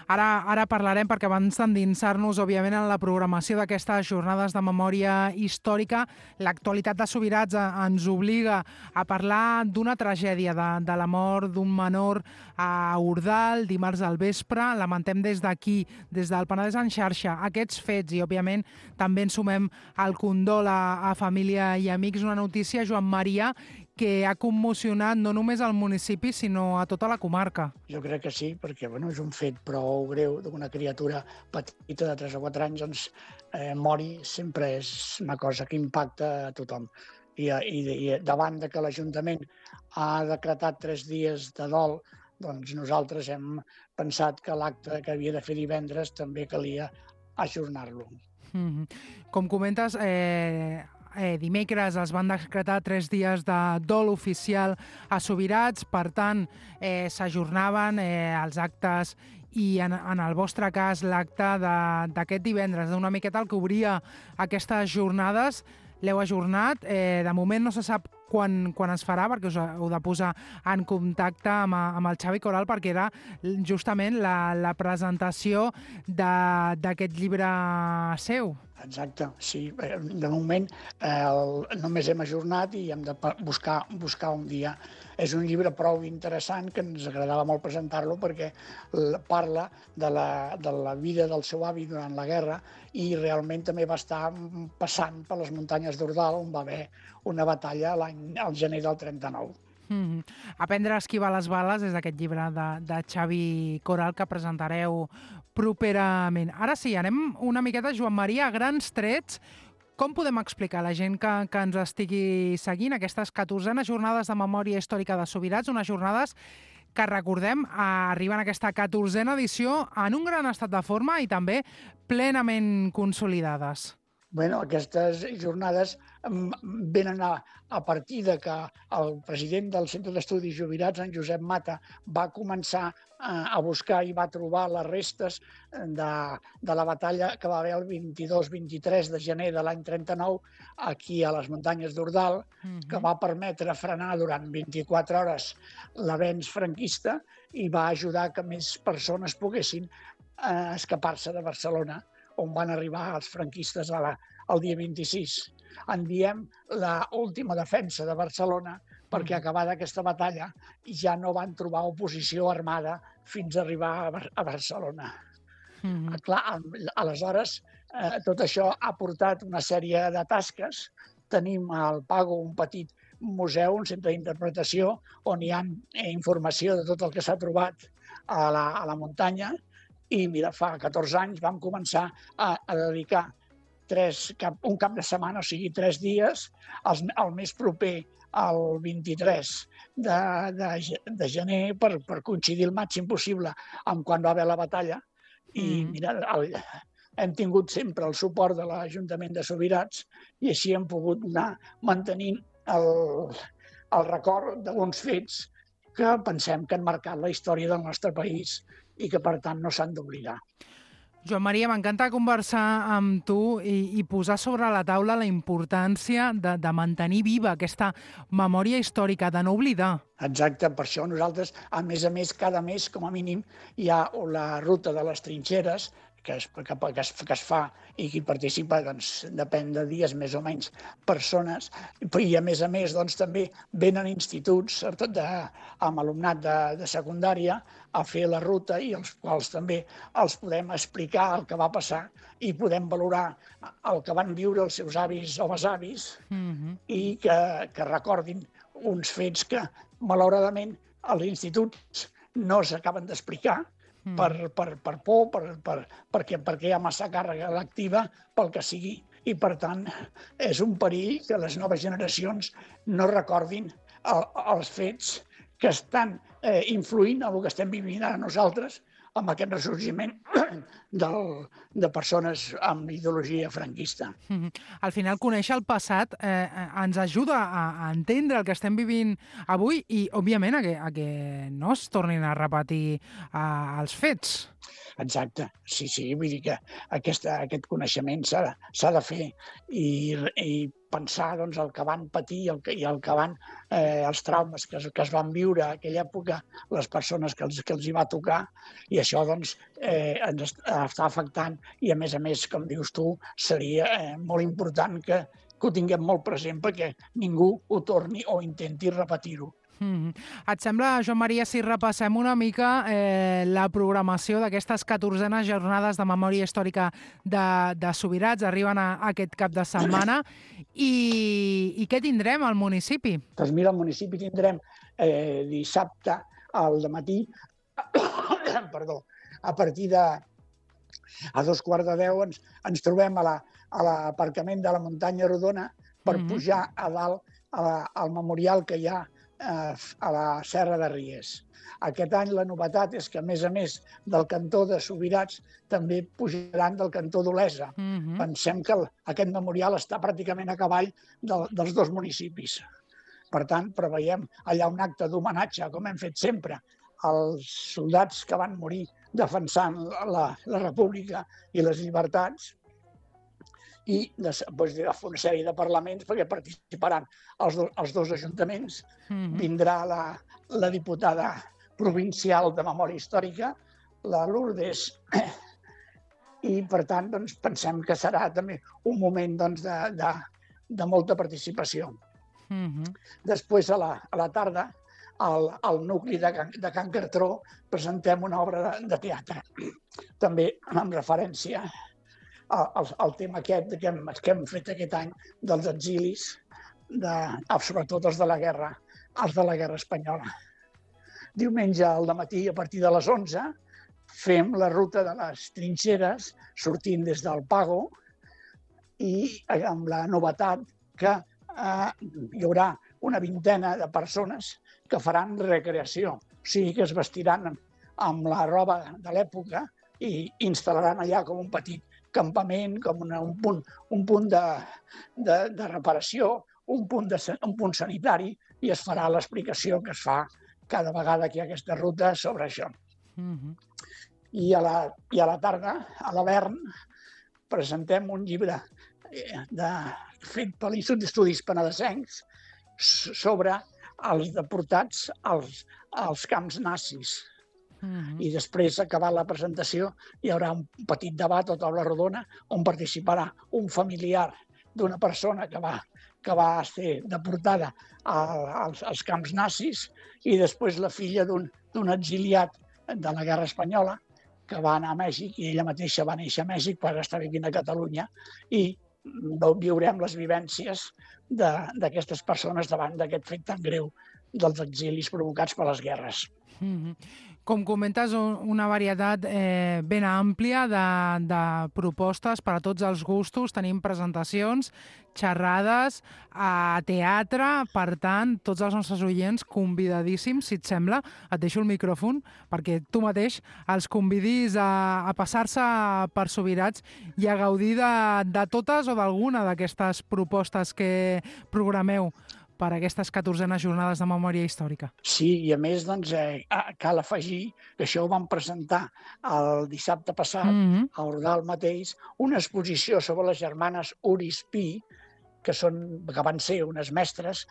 Ara parlarem, perquè abans d'endinsar-nos, òbviament, en la programació d'aquestes jornades de memòria històrica, l'actualitat de Subirats ens obliga a parlar d'una tragèdia, de la mort d'un menor a Ordal, dimarts al vespre. Lamentem des d'aquí, des del Penedès en xarxa, aquests fets i, òbviament, també ens sumem al condol a família i amics. Una notícia, Joan Maria, que ha commocionat no només al municipi, sinó a tota la comarca. Jo crec que sí, perquè és un fet prou greu d'una criatura petita de 3 o 4 anys, doncs mori sempre és una cosa que impacta a tothom. I davant de que l'Ajuntament ha decretat 3 dies de dol, doncs nosaltres hem pensat que l'acte que havia de fer divendres també calia ajornar-lo. Com comentes, dimecres es van decretar 3 dies de dol oficial a Subirats, per tant, s'ajornaven els actes i en el vostre cas l'acte d'aquest divendres, d'una miqueta el que obria aquestes jornades, l'heu ajornat. De moment no se sap quan es farà, perquè us heu de posar en contacte amb el Xavi Coral, perquè era justament la presentació d'aquest llibre seu. Exacte, sí. De moment només hem ajornat i hem de buscar un dia. És un llibre prou interessant que ens agradava molt presentar-lo perquè parla de la vida del seu avi durant la guerra i realment també va estar passant per les muntanyes d'Ordal, on va haver una batalla al gener del 39. Aprendre a esquivar les bales és aquest llibre de Xavi Coral que presentareu properament. Ara sí, anem una miqueta, Joan Maria, a grans trets. Com podem explicar a la gent que ens estigui seguint aquestes 14enes jornades de memòria històrica de Subirats, unes jornades que, recordem, arriben a aquesta 14a edició en un gran estat de forma i també plenament consolidades? Bueno, aquestes jornades venen a partir de que el president del Centre d'Estudis Subirats, en Josep Mata, va començar a buscar i va trobar les restes de la batalla que va haver el 22-23 de gener de l'any 39 aquí a les muntanyes d'Ordal, que va permetre frenar durant 24 hores l'avenç franquista i va ajudar que més persones poguessin escapar-se de Barcelona, on van arribar els franquistes el dia 26. En diem l'última defensa de Barcelona perquè acabada aquesta batalla ja no van trobar oposició armada fins a arribar a Barcelona. Clar, aleshores, tot això ha portat una sèrie de tasques. Tenim al Pago un petit museu, un centre d'interpretació, on hi ha informació de tot el que s'ha trobat a la muntanya. I mira, fa 14 anys vam començar a dedicar un cap de setmana, o sigui, 3 dies, el més proper al 23 de gener per coincidir el màxim possible amb quan va haver la batalla. I mira, hem tingut sempre el suport de l'Ajuntament de Subirats i així hem pogut anar mantenint el record d'uns fets que pensem que han marcat la història del nostre país i que, per tant, no s'han d'oblidar. Joan Maria, m'encanta conversar amb tu i posar sobre la taula la importància de mantenir viva aquesta memòria històrica, de no oblidar. Exacte, per això nosaltres, a més, cada mes, com a mínim, hi ha la ruta de les trinxeres, que es fa i qui participa, doncs, depèn de dies, més o menys, persones. I, a més, doncs, també venen instituts, sobretot amb alumnat de secundària, a fer la ruta i els quals també els podem explicar el que va passar i podem valorar el que van viure els seus avis o besavis i que recordin uns fets que, malauradament, als instituts no s'acaben d'explicar per por, perquè hi ha massa càrrega lectiva, pel que sigui. I, per tant, és un perill que les noves generacions no recordin els fets que estan influint en el que estem vivint ara nosaltres, amb aquest ressorgiment de persones amb ideologia franquista. Al final, conèixer el passat ens ajuda a entendre el que estem vivint avui i, òbviament, a que no es tornin a repetir els fets. Exacte, sí, vull dir que aquest coneixement s'ha de fer i pensar doncs, el que van patir i el que van, els traumes que es van viure a aquella època, les persones que els hi va tocar, i això doncs, ens està afectant i, a més, com dius tu, seria molt important que ho tinguem molt present perquè ningú ho torni o intenti repetir-ho. Et sembla, Joan Maria, si repassem una mica la programació d'aquestes 14enes jornades de memòria històrica de Subirats? Arriben aquest cap de setmana. I què tindrem al municipi? Doncs mira, al municipi tindrem dissabte al dematí, perdó, a partir de a 2:15 ens trobem a l'aparcament de la Muntanya Rodona per pujar a dalt al memorial que hi ha a la Serra de Ries. Aquest any la novetat és que, a més del cantó de Subirats, també pujaran del cantó d'Olesa. Pensem que aquest memorial està pràcticament a cavall dels dos municipis. Per tant, preveiem allà un acte d'homenatge, com hem fet sempre, als soldats que van morir defensant la República i les llibertats, i després de fer una sèrie de parlaments perquè participaran els dos ajuntaments. Vindrà la diputada provincial de Memòria Històrica, la Lourdes, i per tant doncs, pensem que serà també un moment doncs, de molta participació. Després, a la tarda, al nucli de Can Cartró presentem una obra de teatre, també amb referència al tema aquest que hem fet aquest any dels exilis, sobretot els de la guerra espanyola. Diumenge al dematí, a partir de les 11, fem la ruta de les trinxeres, sortint des del Pago, i amb la novetat que hi haurà una vintena de persones que faran recreació, o sigui que es vestiran amb la roba de l'època i instal·laran allà com un petit campament, com un punt de reparació, un punt sanitari, i es farà l'explicació que es fa cada vegada que hi ha aquesta ruta sobre això. I a la tarda, a l'Avern, presentem un llibre fet per l'Institut d'Estudis Penedesencs sobre els deportats als camps nazis. I després, acabat la presentació, hi haurà un petit debat o taula rodona on participarà un familiar d'una persona que va ser deportada als camps nazis i després la filla d'un exiliat de la guerra espanyola que va anar a Mèxic, i ella mateixa va néixer a Mèxic per estar vivint a Catalunya, i viurem les vivències d'aquestes persones davant d'aquest fet tan greu dels exilis provocats per les guerres. Com comentes, una varietat ben àmplia de propostes per a tots els gustos. Tenim presentacions, xerrades, teatre. Per tant, tots els nostres oients convidadíssims, si et sembla. Et deixo el micròfon perquè tu mateix els convidis a passar-se per Subirats i a gaudir de totes o d'alguna d'aquestes propostes que programeu per aquestes 14enes jornades de memòria històrica. Sí, i a més, doncs, cal afegir que això ho vam presentar el dissabte passat, a Ordal mateix, una exposició sobre les germanes Uris Pi, que van ser unes mestres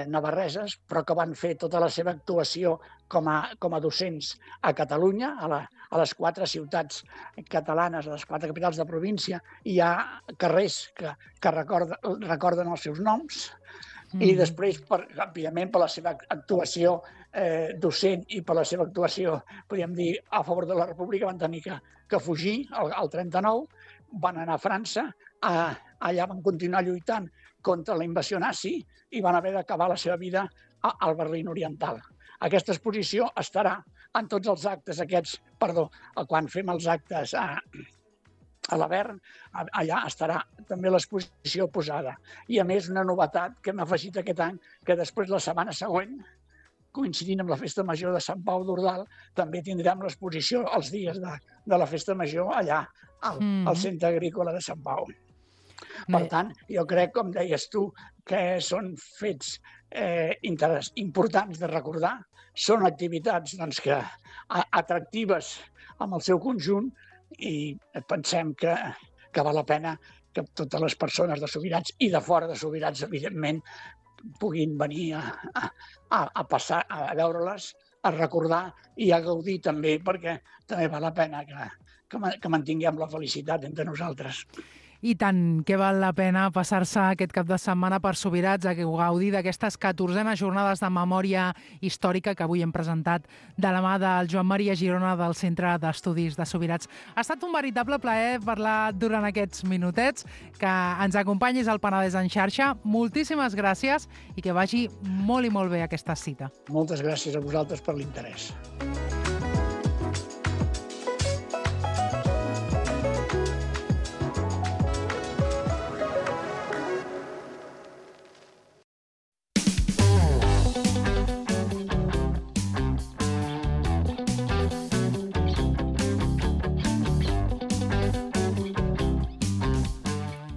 navarreses, però que van fer tota la seva actuació com a docents a Catalunya, a les 4 ciutats catalanes, a les 4 capitals de província. Hi ha carrers que recorden els seus noms, i després, òbviament, per la seva actuació docent i per la seva actuació, podríem dir, a favor de la República, van tenir que fugir al 39, van anar a França, allà van continuar lluitant contra la invasió nazi i van haver d'acabar la seva vida al Berlín Oriental. Aquesta exposició estarà en tots els actes aquests, quan fem els actes a l'Avern, allà estarà també l'exposició posada. I a més, una novetat que hem afegit aquest any, que després la setmana següent, coincidint amb la Festa Major de Sant Pau d'Ordal, també tindrem l'exposició els dies de la Festa Major allà al Centre Agrícola de Sant Pau. Per tant, jo crec, com deies tu, que són fets importants de recordar, són activitats atractives amb el seu conjunt i pensem que val la pena que totes les persones de Subirats i de fora de Subirats, evidentment, puguin venir a passar, a veure-les, a recordar i a gaudir també, perquè també val la pena que mantinguem la felicitat entre nosaltres. I tant, que val la pena passar-se aquest cap de setmana per Subirats a gaudir d'aquestes 14enes jornades de memòria històrica que avui hem presentat de la mà del Joan Maria Girona del Centre d'Estudis de Subirats. Ha estat un veritable plaer parlar durant aquests minutets, que ens acompanyis al Penedès en xarxa. Moltíssimes gràcies i que vagi molt i molt bé aquesta cita. Moltes gràcies a vosaltres per l'interès.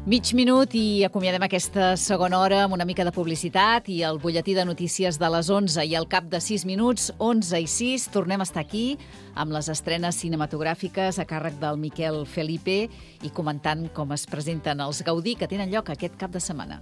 Mig minut i acomiadem aquesta segona hora amb una mica de publicitat i el butlletí de notícies de les 11 i al cap de 6 minuts, 11 i 6, tornem a estar aquí amb les estrenes cinematogràfiques a càrrec del Miquel Felipe i comentant com es presenten els Gaudí que tenen lloc aquest cap de setmana.